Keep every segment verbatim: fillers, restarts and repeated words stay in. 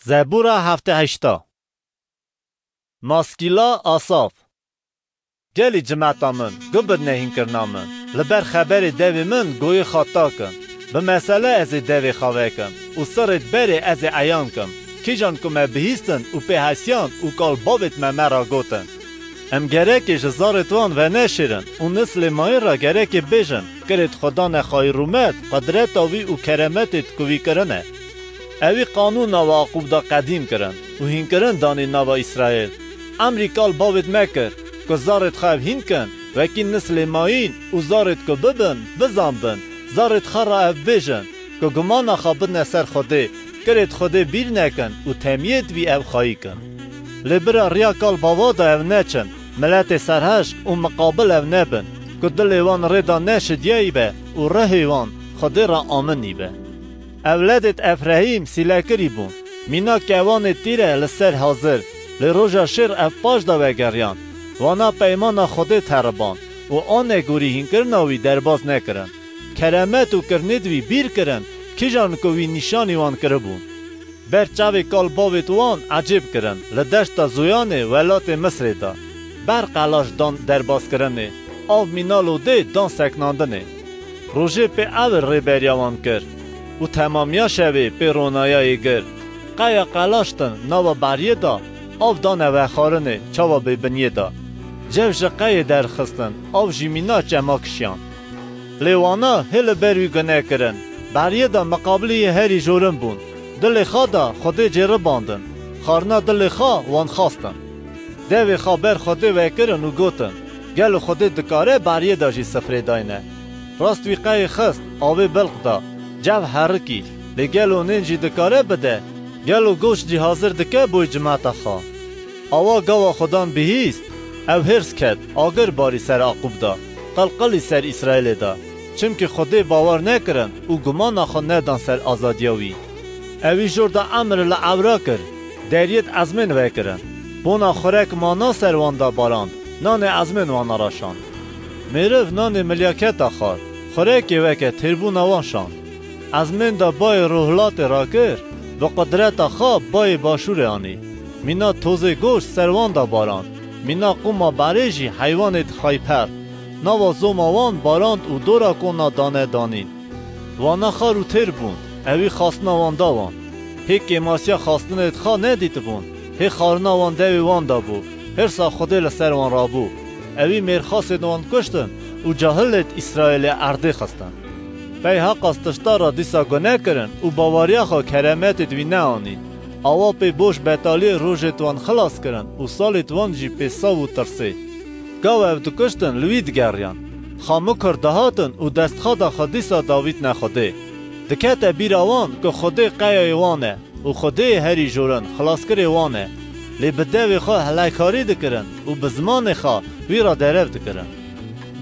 Zebûra heftê heşta. Maskîla Asaf. Gelî cimeta min, gubidne hînkirina min. Li ber xeberê devê min goyê xwe takin. Bi mesele ez ê devê xwe vekim û sirêt berê ez ê eyan kim. Kîjan ku me bihîstin û pê hesiyan û kal bavêt me me ra gotin. Em gerekê ji zarêt wan veneşêrin û nislê mayîn re gerekê bêjin, kirêt Xwedane xayî rûmet, qudreta wî û keremetêt ku wî kirine. Ewî qanûna we Aqûb da qedîm kirin û hînkirin danî nava Îsraîl. Emrî kal bavêt me kir ku zarêt xwe ev hînkin, wekî nislê mayîn û zarêt ku bibin, bizanbin, zarêt xwe re ev bêjin ku gumana xwe bidne ser Xwedê, kirêt Xwedê bîr nekin û temiyêt wî ev xayî kin. Lê bira riya kal bava da ev neçin, miletê serhişk û miqabil ev nebin, ku dilê wan rê da neşidiyayî be û rihê wan Xwedê ra aminî be. Ewledêt Efrehîm sîlekirî bûn. Mîna kewanê tîre li ser hazir, lê roja şêr ev paş da vegeriyan. Wana peymana Xwedê teriband û anegorî hînkirina wî derbaz nekirin. Keremet û kirinêt wî bîr kirin, kîjan ku wî nîşanî wan kiribûn. Ber çavê kal bavêt wan ecêb kirin, li deşta Zoyanê welatê Misrê de. Ber qelaş dan derbazkirinê, av mîna lodê dan seknandinê. Rojê pê ewil rêberiya wan kir û temamiya şevê pê ronayayê gir. Qeya qelaş din nava beriyê de, av dane vexwarinê çawa bêbinyê de. Cev ji qeyê derxistin, av jî mîna çema kişiyan. Lê wana hê li ber wî gune kirin, beriyê de miqabilî yê herî jorin bûn. Dilê xwe da Xwedê cêribandin. Xarina dilê xwe wan xwestin. Devê xwe ber Xwedê vekirin û gotin, gelo Xwedê dikare beriyê de jî sifrê dayne? Rast wî qeyê xist, avê bilq da, cev herikî, lê gelo nên jî dikare bide? Gelo goşt jî hazir dike boy cimeta xwe? Awa gava Xudan bihîst, ew hêrs ket, agir barî ser Aqûb da, qilqilî ser Îsraîlê da. Çimkî Xwedê bawer nekirin û gumana xwe nedan ser azadiya wî. Ewî jor da emir li ewra kir, deriyêt ezmên vekirin. Bona xurek mana ser wan da barand, nanê ezmên wana ra şand. Mêriv nanê milyaketa xwar, xurekê weke têrbûna wan şand. Ezmên da bayê rûhilatê rakir, bi qudreta xwe bayê başûrê anî. Mîna tozê goşt ser wan da barand, mîna qûma berê jî heywanêt xayper. Nava zoma wan barand û dora kona dane danîn. Wana xar û têr bûn, ewî xastina wan da wan. Hê kêmasiya xastinêt xwe nedîtibûn, hê xarina wan devê wan da bû, hêrsa Xwedê li ser wan rabû. Ewî mêrxasên wan kuştin û cahilêt Îsraîlê erdê xistin. Pey heqas tişta ra dîsa gune kirin û bawariya xwe keremetêt wî neanîn. Awa pê boş betaliyê rojêt wan xilas kirin û salêt wan jî pê saw û tirsê. Gava ev dikuştin li wî digeriyan. Xamikor dihatin û destxada xwe dîsa davîtne Xwedê. Dikete bîra wan ku Xwedê qeyayê wan e û Xwedêyê herî jorin xilaskirê wan e. Lê bi devê xwe heleykarî dikirin û bi zimanê xwe wî re derev dikirin.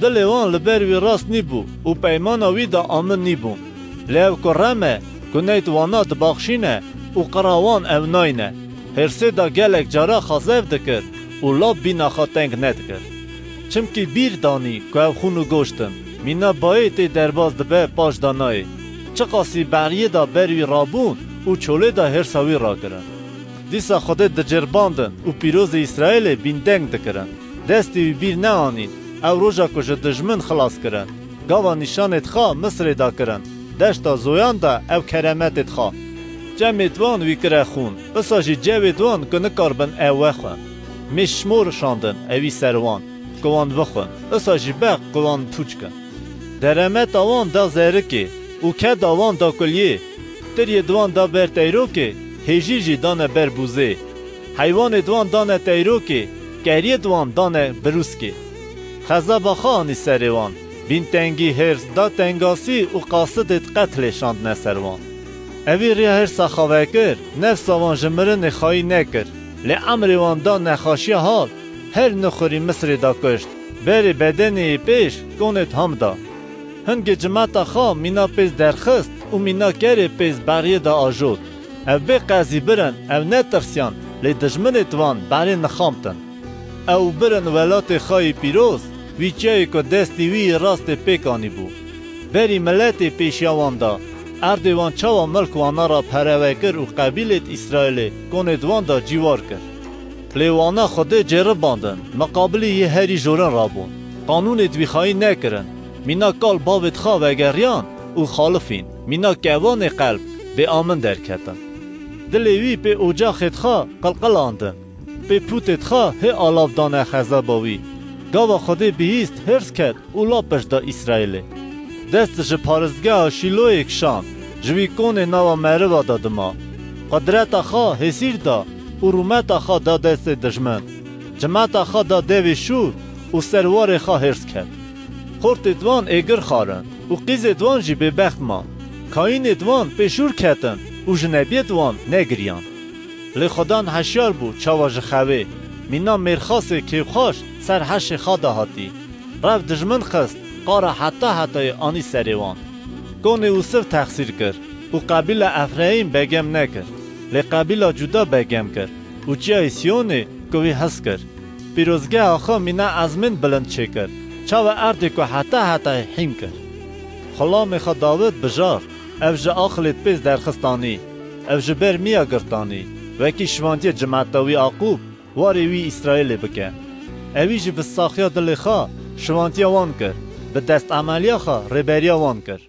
Dilê wan li ber wî rast nîbû û peymana wî de amin nîbûn. Lê ew ku rem e, guneyt wana dibaxşîne û qira wan ew nayne. Hêrsê de gelek cara xwe zef dikir û lab bîna xwe teng nedikir. Çimkî bîr danî ku ew xûn û goşt in, mîna bayê tê derbaz dibe paş de nayê. Çiqasî beriyê de ber wî rabûn û çolê de hêrsa wî rakirin. Dîsa Xwedê dicêrbandin û pîrozê Îsraîlê bîndeng dikirin. Destê wî bîr neanîn, ew roja ku ji dijmin xilas kirin. Gava nîşanêt xwe Misrê de kirin, deşta Zoyan de ew keremetêt xwe. Çemêt wan wî kire xûn, isa jî cewêt wan ku nikaribin ew wexwin. Mêşmor şandin ewî ser wan, ku wan bixwin, isa jî beq ku wan pûç kin. Deremeta wan da zerikê û keda wan da kuliyê. Tiriyê di wan da ber teyrokê, hêjî jî dane ber bûzê. Heywanê di wan dane teyrokê, keriyê di wan dane birûskê. Xezaba xwe anî serê wan. Bîntengî, hêrs, da tengasî û qasidêt qetlê şandine ser wan. Ewî riya hêrsa xwe vekir, nefsa wan ji mirinê xayî nekir. Lê emrê wan da nexaşiya hal, her nixurî Misrê da kuşt. Berê bedenê yê pêş konêt ham da. Hingê cimeta xwe mîna pêz derxist û mîna kerê pêz beriyê de ajot. Ew bê qezî birin, ew netirsiyan, lê dijminêt wan berê nixamtin. Ew birin welatê xwe yê pîroz, wî çiyayê ku destê wî yê rastê pêk anîbû. Berî miletê pêşiya wan da, Erdê wan çawa milk wana ra perewe kir û qebîlêd Îsraîlê konêd wan da cîwar kir. Lê wana Xwedê cêribandin, miqabilî yê herî jorin rabûn. Qanûnêd wî xayîn nekirin. Mîna kal bavêd xwe vegeriyan û xalifîn. Mîna kevanê qelb bêamin derketin. Dilê wî pê ocaxêd xwe qilqilandin. Pê pûtêd xwe hê alav dane xezeba wî. Gava Xwedê bihîst, hêrs ket û la pişt da Îsraîlê. Dest ji paristgeha Şîloyê kişand, ji wî konê nava meriva da dima. Qudreta xwe hêsîr da û rûmeta xwe da destê dijmin. Cimeta xwe da devê şûr û ser warê xwe hêrs ket. Xortêd wan êgir xwarin û qîzêd wan jî bêbext man. Kayînêd wan pê şûr ketin û ji nebiyêd wan negiriyan. Lê Xudan heşyar bû çawa ji xewê, mîna mêrxasê kêfxweş ser heşê xwe de hatî. Rev dijmin xist, qara heta hetayê anî serê wan. Konê Ûsiv texsîr kir û qebîla Efreîm begem nekir. Lê qebîla Cuda begem kir û çiyayê Siyonê ku wî hez kir. Pîrozgeha xwe mîna ezmên bilind çêkir, çawa erdê ku heta hetayê hîn kir. Xulamê xwe Dawid bijar, ev ji aqilêd pêz derxistanî, ev ji ber miya girtanî, wekî şivantiye cimeta wî Aqûb, warê wî Îsraîlê bike. Ewî jî bi saxiya dilê xwe şivantiya wan kir, bi destemeliya xwe rêberiya wan kir.